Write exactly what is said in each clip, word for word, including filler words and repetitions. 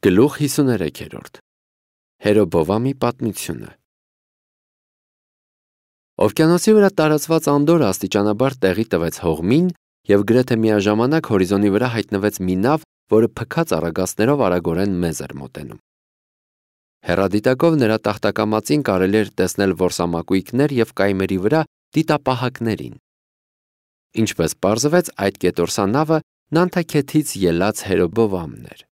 Գլուխ հիսուներեքերորդ Հերոբովամի պատմությունը Օվկիանոսի վրա տարածված անդորը աստիճանաբար տեղի տվեց հողմին և գրեթե միաժամանակ հորիզոնի վրա հայտնվեց մի նավ, որը փքած առագաստներով արագորեն մեզ էր մոտենում։ Հեռադիտակով նրա տախտակամածին կարելի էր տեսնել որսամակույկներ և կայմերի վրա դիտապահակներին։ Ինչպես պարզվեց, այդ կետորսանավը Նանթաքեթից ելած Հերոբովամն էր։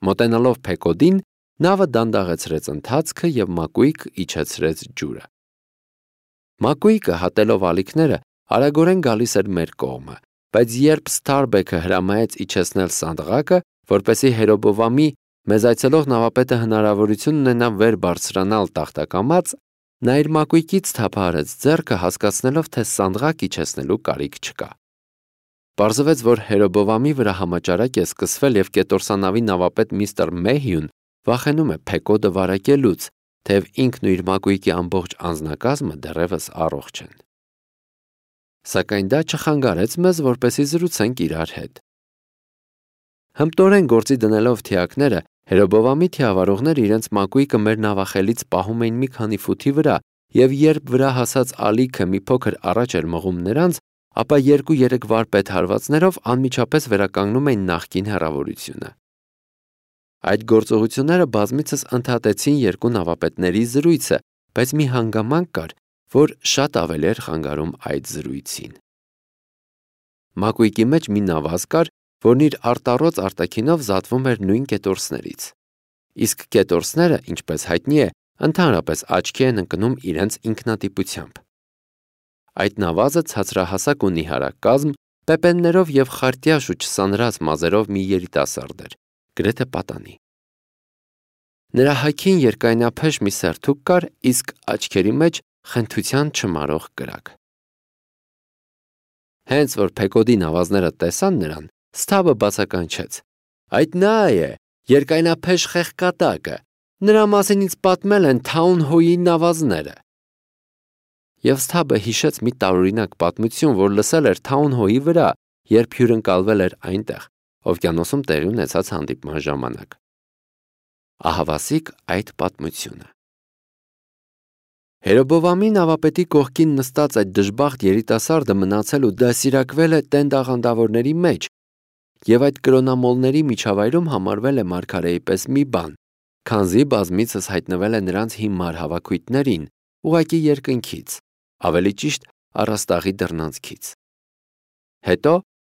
Մոտենալով Փեկոդին, նավը դանդաղեցրեց ընթացքը և մակույկ իջեցրեց ջուրը։ Մակույկը, հատելով ալիքները, արագորեն գալիս էր մեր կողմը, բայց երբ Սթարբեքը հրամայեց իջեցնել սանդղակը, որպեսզի Հերոբովամի մեզ այցելող նավապետը հնարավորություն ունենա վեր բարձրանալ տախտակամած, նա իր մակույկից թափահարեց ձեռքը, հասկացնելով, թե սանդղակ իջեցնելու կարիք չկա։ Պարզվեց, որ Հերոբովամի վրա համաճարակ է սկսվել և կետորսանավի նավապետ միստր Մեհյուն վախենում է Փեկոդը վարակելուց, թեև ինքն ու իր մակույկի ամբողջ անձնակազմը դեռևս առողջ են։ Սակայն դա չխանգարեց մեզ, որպեսզի զրուցենք իրար հետ։ Հմտորեն գործի դնելով թիակները, Հերոբովամի թիավարողները իրենց մակույկը մեր նավախելից պահում էին մի քանի ֆուտի վրա, և երբ վրա հասած ալիքը մի փոքր առաջ էր մղում նրանց, ապա երկու-երեք վարպետ հարվածներով անմիջապես վերականգնում էին նախկին հեռավորությունը։ Այդ գործողությունները բազմիցս ընդհատեցին երկու նավապետների զրույցը, բայց մի հանգամանք կար, որ շատ ավելի էր խանգարում այդ զրույցին։ Մակույկի մեջ մի նավազ կար, որն իր արտառոց արտաքինով զատվում էր նույն կետորսներից։ Իսկ կետորսները, ինչպես հայտնի է, ընդհանրապես աչքի են ընկնում իրենց ինքնատիպությամբ։ Այդ նավազը ցածրահասակ ու նիհարակ կազմ, պեպեններով և խարտյաշ ու չսանրած մազերով մի երիտասարդ էր, գրեթե պատանի։ Նրա հագին երկայնափեշ մի սերթուկ կար, իսկ աչքերի մեջ խնդության չմարող կրակ։ Հենց որ Փեկոդի նավազները տեսան նրան, Սթաբը բացականչեց. «Այդ նա է, երկայնափեշ խեղկատակը, նրա մասին ինձ պատմել են Թաունհոյի նավազները»։ Եվ Սթաբը հիշեց մի տարօրինակ պատմություն, որ լսել էր Թաունհոյի վրա, երբ հյուրընկալվել էր այնտեղ, օվկիանոսում տեղի ունեցած հանդիպման ժամանակ։ Ահավասիկ այդ պատմությունը։ Հերոբովամի նավապետի կողքին նստած այդ դժբախտ երիտասարդը մնացել ու դասիրակվել է տենդ աղանդավորների մեջ, և այդ կրոնամոլների միջավայրում համարվել է մարգարեի պես մի բան, քանզի բազմիցս հայտնվել է նրանց հիմար հավաքույթներին, ուղղակի երկնքից, ավելի ճիշտ առաստաղի դռնանցքից։ Հետո,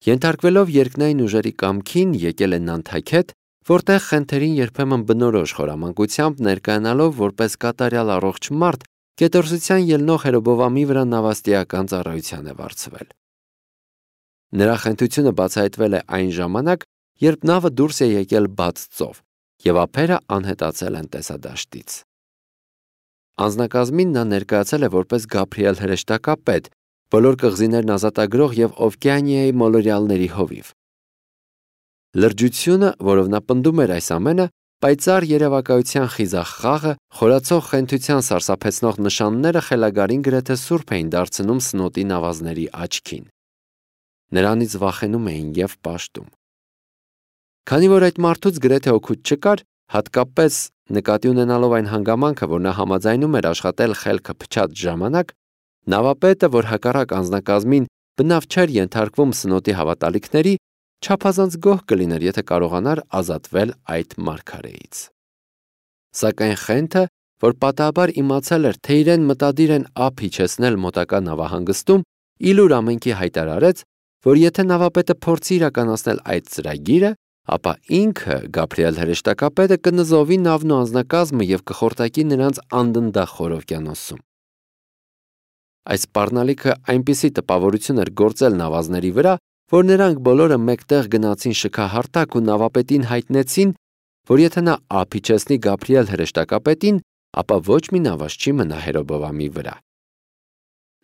ենթարկվելով երկնային ուժերի կամքին, եկել է Նանթաքեթ, որտեղ խենթերին երբեմն բնորոշ խորամանկությամբ ներկայանալով որպես կատարյալ առողջ մարդ, կետորսության ելնող Հերոբովամի վրա նավաստիական ծառայության է վարձվել։ Նրա խենթությունը բացահայտվել է այն ժամանակ, երբ նավը դուրս է եկել բաց ծով, և ափերը անհետացել են տեսադաշտից։ Անձնակազմին նա ներկայացել է որպես Գաբրիել հրեշտակապետ, բոլոր կղզիներն ազատագրող և Օվկիանիայի մոլորյալների հովիվ։ Լրջությունը, որով նա պնդում էր այս ամենը, պայծառ երևակայության խիզախ խաղը, խորացող խենթության սարսափեցնող նշանները խելագարին գրեթե սուրբ էին դարձնում սնոտի նավազների աչքին։ Նրանից վախենում էին և պաշտում։ Քանի որ այդ մարդուց գրեթե օգուտ չկար, հատկապես նկատի ունենալով այն հանգամանքը, որ նա համաձայնում էր աշխատել խելքը փչած ժամանակ, նավապետը, որ հակառակ անձնակազմին բնավ չէր ենթարկվում սնոտի հավատալիքների, չափազանց գոհ կլիներ, եթե կարողանար ազատվել այդ մարգարեից։ Սակայն խենթը, որ պատահաբար իմացել էր, թե իրեն մտադիր են ափ իջեցնել մոտակա նավահանգստում, ի լուր ամենքի հայտարարեց, որ եթե նավապետը փորձի իրականացնել այդ ծրագիրը, ապա ինքը, Գաբրիել հրեշտակապետը, կնզովի նավն ու անձնակազմը և կխորտակի նրանց անդնդախոր օվկիանոսում։ Այս սպառնալիքը այնպիսի տպավորություն էր գործել նավազների վրա, որ նրանք բոլորը մեկտեղ գնացին շքահարտակ ու նավապետին հայտնեցին, որ եթե նա ափ իջեցնի Գաբրիել հրեշտակապետին, ապա ոչ մի նավազ չի մնա Հերոբովամի վրա։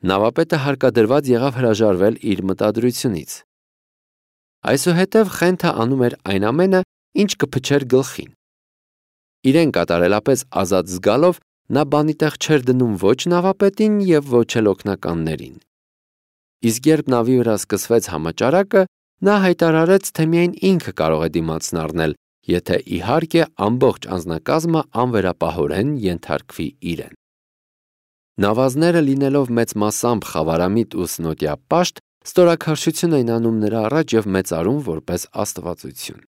Նավապետը հարկադրված եղավ հրաժարվել իր մտադրությունից։ Այսուհետև խենթը անում էր այն ամենը, ինչ կփչեր գլխին։ Իրեն կատարելապես ազատ զգալով, նա բանի տեղ չէր դնում ոչ նավապետին և ոչ էլ օգնականներին։ Իսկ երբ նավի վրա սկսվեց համաճարակը, նա հայտարարեց, թե միայն ինքը կարող է դիմացն առնել եթե իհարկե ամբողջ անձնակազմը անվերապահորեն ենթարկվի իրեն։ Նավազները լինելով մեծ մասամբ խավարամիտ ու սնոտյա պաշտ, ստորաքարշություն էին անում նրա առաջ և մեծարում որպես աստվածություն։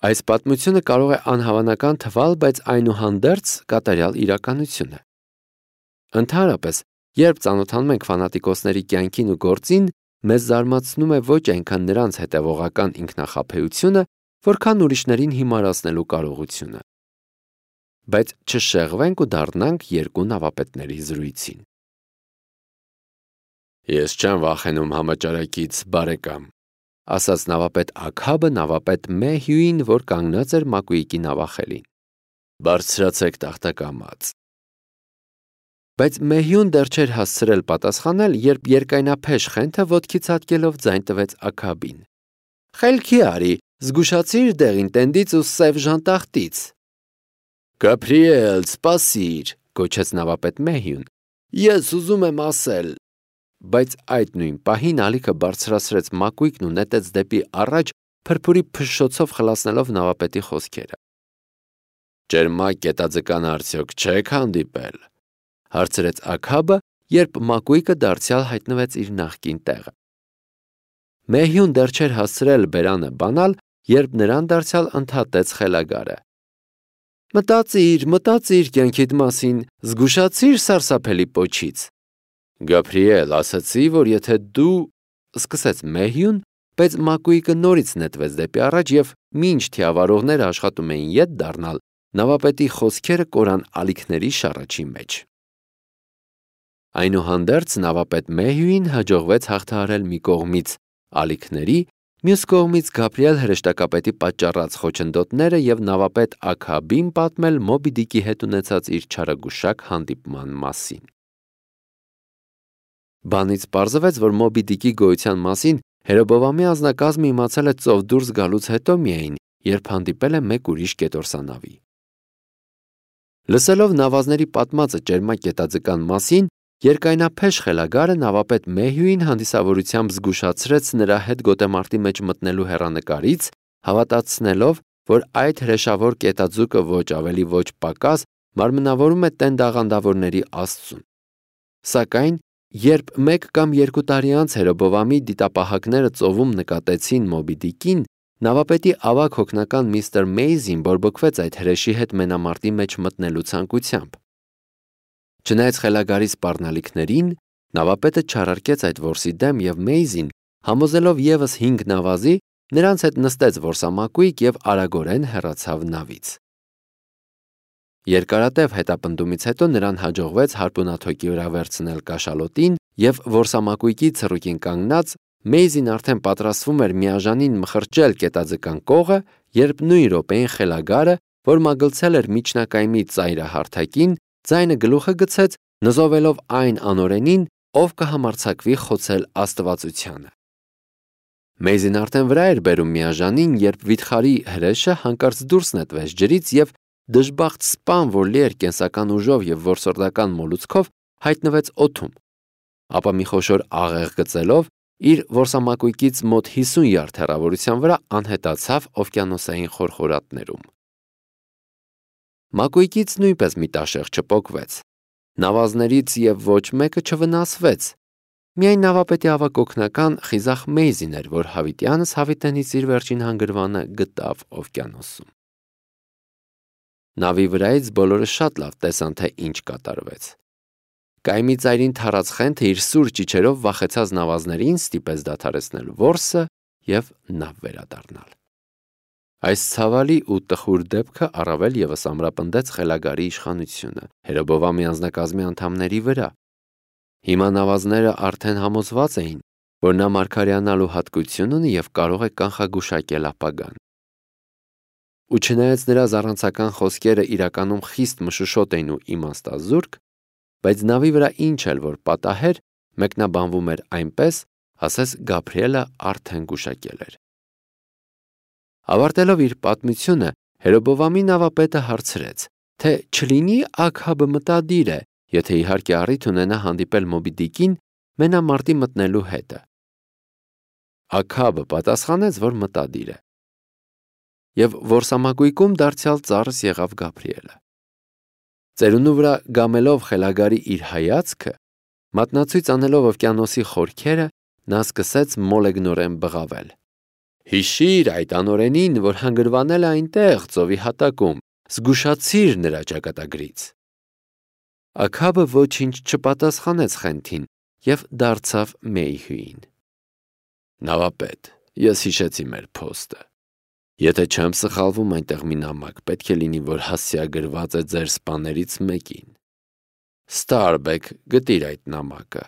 Այս պատմությունը կարող է անհավանական թվալ, բայց այնուհանդերձ կատարյալ իրականություն է։ Ընդհանրապես, երբ ծանոթանում ենք ֆանատիկոսների կյանքին ու գործին, մեզ զարմացնում է ոչ այնքան նրանց հետևողական ինքնախաբեությունը, որքան ուրիշներին հիմարացնելու կարողությունը։ Բայց չշեղվենք ու դառնանք երկու նավապետների զրույցին։ Ես չեմ վախենում համաճարակից, բարեկամ, ասաց նավապետ Աքաբը նավապետ Մեհյուին, որ կանգնած էր Մակուիկի նավախելին։ Բարձրացեք տախտակամած։ Բայց Մեհյուն դեռ չէր հասցրել պատասխանել, երբ երկայնափեշ խենթը ոտքի ցատկելով ձայն տվեց Աքաբին։ Խելքի արի, զգուշացիր դեղին տենդից ու սև ժանտախտից։ Գաբրիել, սպասիր, գոչեց նավապետ Մեհյուն։ Ես ուզում եմ ասել։ Բայց այդ նույն պահին ալիքը բարձրացրեց Մակուիկն ու նետեց դեպի առաջ, փրփուրի փշշոցով խլացնելով նավապետի խոսքերը։ Ճերմակ կետաձկան արդյոք չեք հանդիպել, հարցրեց Աքաբը, երբ Մակուիկը դարձյալ հայտնվեց իր նախկին տեղը։ Մեհյուն դեռ չէր հասցրել բերանը բանալ, երբ նրան դարձյալ ընդհատեց խելագարը։ Մտածիր, մտածիր կյանքիդ մասին, զգուշացիր սարսափելի պոչից։ Գաբրիել, ասացի, որ եթե դու… Սկսեց Մեհյուն, բայց Մակուիկը նորից նետվեց դեպի առաջ և մինչ թիավարողները աշխատում էին ետ դառնալ, նավապետի խոսքերը կորան ալիքների շառաչի մեջ։ Այնուհանդերձ նավապետ Մեհյուին հաջողվեց հաղթահարել մի կողմից ալիքների, մյուս կողմից Գաբրիել հրեշտակապետի պատճառած խոչընդոտները և նավապետ Աքաբին պատմել Մոբի Դիկի հետ ունեցած իր չարագուշակ հանդիպման մասին։ Բանից պարզվեց, որ Մոբի Դիկի գոյության մասին Հերոբովամի անձնակազմը իմացել է ծով դուրս գալուց հետո միայն, երբ հանդիպել է մեկ ուրիշ կետորսանավի։ Լսելով նավազների պատմածը ճերմակ կետաձկան մասին, երկայնափեշ խելագարը նավապետ Մեհյուին հանդիսավորությամբ զգուշացրեց նրա հետ գոտեմարտի մեջ մտնելու հեռանկարից, հավատացնելով, որ այդ հրեշավոր կետաձուկը ոչ ավելի ոչ պակաս մարմնավորում է տենդ աղանդավորների աստծուն։ Սակայն, երբ մեկ կամ երկու տարի անց Հերոբովամի դիտապահակները ծովում նկատեցին Մոբի Դիկին, նավապետի ավագ հոգնական միստր Մեյզին բորբոքվեց այդ հրեշի հետ մենամարտի մեջ մտնելու ցանկությամբ։ Չնայած խելագարի սպառնալիքներին, նավապետը չարարկեց այդ որսի դեմ և Մեյզին, համոզելով ևս հինգ նավազի, նրանց հետ նստեց որսամակույկ և արագորեն հեռացավ նավից։ Երկարատև հետապնդումից հետո նրան հաջողվեց հարպունաթոկի վրա վերցնել կաշալոտին և որսամակույկի ցռուկին կանգնած Մեյզին արդեն պատրաստվում էր միաժանին մխրճել կետաձկան կողը, երբ նույն րոպեին խելագարը, որ մագլցել էր միջնակայմի ծայրահարթակին, ձայնը գլուխը գցեց, նզովելով այն անօրենին, ով կհամարձակվի խոցել աստվածությանը։ Մեյզին արդեն վրա էր բերում միաժանին, երբ վիթխարի հրեշը հանկարծ դուրս նետվեց ջրից և դժբախտ սպան, որ լի էր կենսական ուժով և որսորդական մոլուցքով, հայտնվեց օդում, ապա մի խոշոր աղեղ գծելով, իր որսամակույկից մոտ հիսուն յարդ հեռավորության վրա անհետացավ օվկիանոսային խորխորատներում։ Մակույկից նույնպես մի տաշեղ չպոկվեց, նավազներից և ոչ մեկը չվնասվեց, միայն նավապետի ավագ օգնական խիզախ Մեյզին էր, որ հավիտյանս հավիտենից իր վերջին հանգրվանը գտավ օվկիանոսում։ Նավի վրայից բոլորը շատ լավ տեսան, թե ինչ կատարվեց։ Կայմի ծայրին թառած խենթը իր սուր ճիչերով վախեցած նավազներին ստիպեց դադարեցնել որսը և նավ վերադառնալ։ Այս ցավալի ու տխուր դեպքը առավել ևս ամրապնդեց խելագարի իշխանությունը Հերոբովամի անձնակազմի անդամների վրա։ Հիմա նավազները արդեն համոզված էին, որ նա մարգարեանալու հատկություն ունի և կարող է կանխագուշակել ապագան։ Ու չնայած նրա զառանցական խոսքերը իրականում խիստ մշուշոտ էին ու իմաստազուրկ, բայց նավի վրա ինչ էլ որ պատահեր, մեկնաբանվում էր այնպես, ասես Գաբրիելը արդեն գուշակել էր։ Ավարտելով իր պատմությունը, Հերոբովամի նավապետը հարցրեց, թե չլինի Աքաբը մտադիր է, եթե իհարկե առիթ ունենա հանդիպել Մոբի Դիկին մենամարտի մտնելու հետը։ Աքաբը պատասխանեց, որ մտադիր է։ և որսամակույկում դարձյալ ծառս եղավ Գաբրիելը։ Ծերունու վրա գամելով խելագարի իր հայացքը, մատնացույց անելով օվկիանոսի խորքերը, նա սկսեց մոլեգնորեն բղավել. «Հիշիր այդ անօրենին, որ հանգրվանել է այնտեղ ծովի հատակում, զգուշացիր նրա ճակատագրից»։ Աքաբը ոչինչ չպատասխանեց խենթին և դարձավ Մեիհյուին. «Նավապետ, ես հիշեցի մեր փոստը։ Եթե չեմ սխալվում, այնտեղ մի նամակ պետք է լինի, որ հասցեագրված է ձեր սպաներից մեկին։ Ստարբեք, գտիր այդ նամակը»։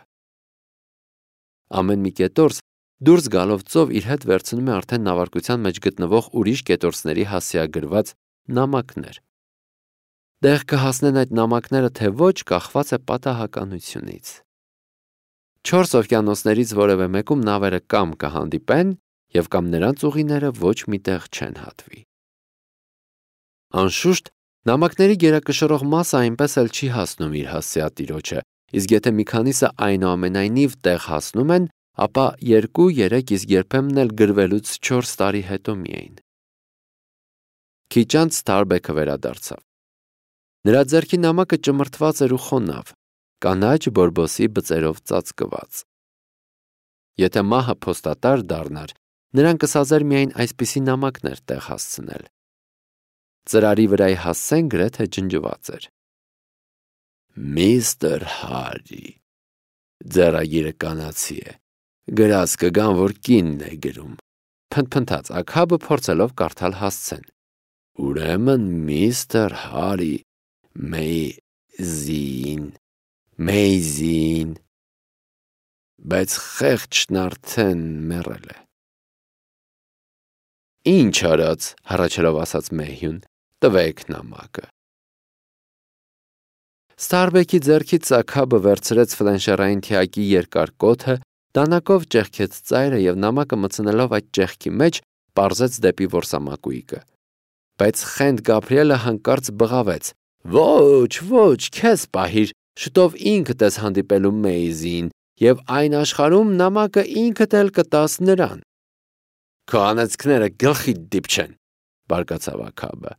Ամեն մի կետորս դուրս գալով ծով իր հետ վերցնում է արդեն նավարկության մեջ գտնվող ուրիշ կետորսների հասցեագրված նամակներ։ Տեղ կհասնեն այդ նամակները, թե ոչ, կախված է պատահականությունից։ Չորս օվկիանոսներից որևէ մեկում նավերը կամ կհանդիպեն, և կամ նրանց ուղիները ոչ միտեղ չեն հատվի։ Անշուշտ, նամակների գերակշռող մասը այնպես էլ չի հասնում իր հասցեատիրոջը, իսկ եթե մի քանիսը այնուամենայնիվ տեղ հասնում են, ապա երկու, երեք, իսկ երբեմն էլ գրվելուց չորս տարի հետո միայն։ Քիչ անց Ստարբեքը վերադարձավ։ Նրա ձեռքի նամակը ճմրթված էր ու խոնավ, կանաչ բորբոսի բծերով ծածկված։ Եթե մահը փոստատար դառնար, նրան կսազեր միայն այսպիսի նամակներ տեղ հասցնել։ Ծրարի վրայի հասցեն գրեթե ջնջված էր. «Միստր Հարի, ձեռագիրը կանացի է, գրած կգան, որ կինն է գրում», փնթփնթաց Աքաբը, փորձելով կարդալ հասցեն։ «Ուրեմն միստր Հարի Մեյզին, Մեյզին, բայց խեղճն արդեն մեռել է»։ «Ինչ արած», հառաչելով ասաց Մեհյուն, «տվեք նամակը»։ Ստարբեքի ձեռքից Աքաբը վերցրեց ֆլենշերային թիակի երկար կոթը, դանակով ճեղքեց ծայրը և նամակը մտցնելով այդ ճեղքի մեջ, պարզեց դեպի որսամակույկը։ Բայց խենթ Գաբրիելը հանկարծ բղավեց. «Ոչ, ոչ, քեզ պահիր, շուտով ինքդ ես հանդիպելու Մեյզին, և այն աշխարհում նամակը ինքդ էլ կտաս նրան»։ «Քո անեծքները գլխիդ դիպչեն», բարկացավ Աքաբը։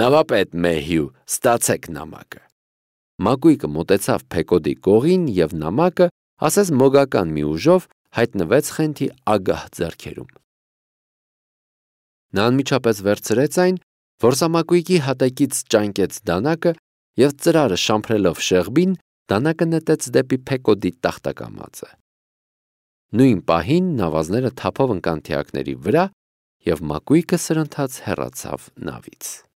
«Նավապետ Մեհյու, ստացեք նամակը»։ Մակույկը մոտեցավ Փեկոդի կողին և նամակը, ասես մոգական մի ուժով, հայտնվեց խենթի ագահ ձեռքերում։ Նա անմիջապես վերցրեց այն, որսամակույկի հատակից ճանկեց դանակը և ծրարը շամփրելով շեղբին, դանակը նետեց դեպի Փեկոդի տախտակամածը։ Նույն պահին նավազները թափով ընկան թիակների վրա, և մակույկը սրընթաց հեռացավ նավից։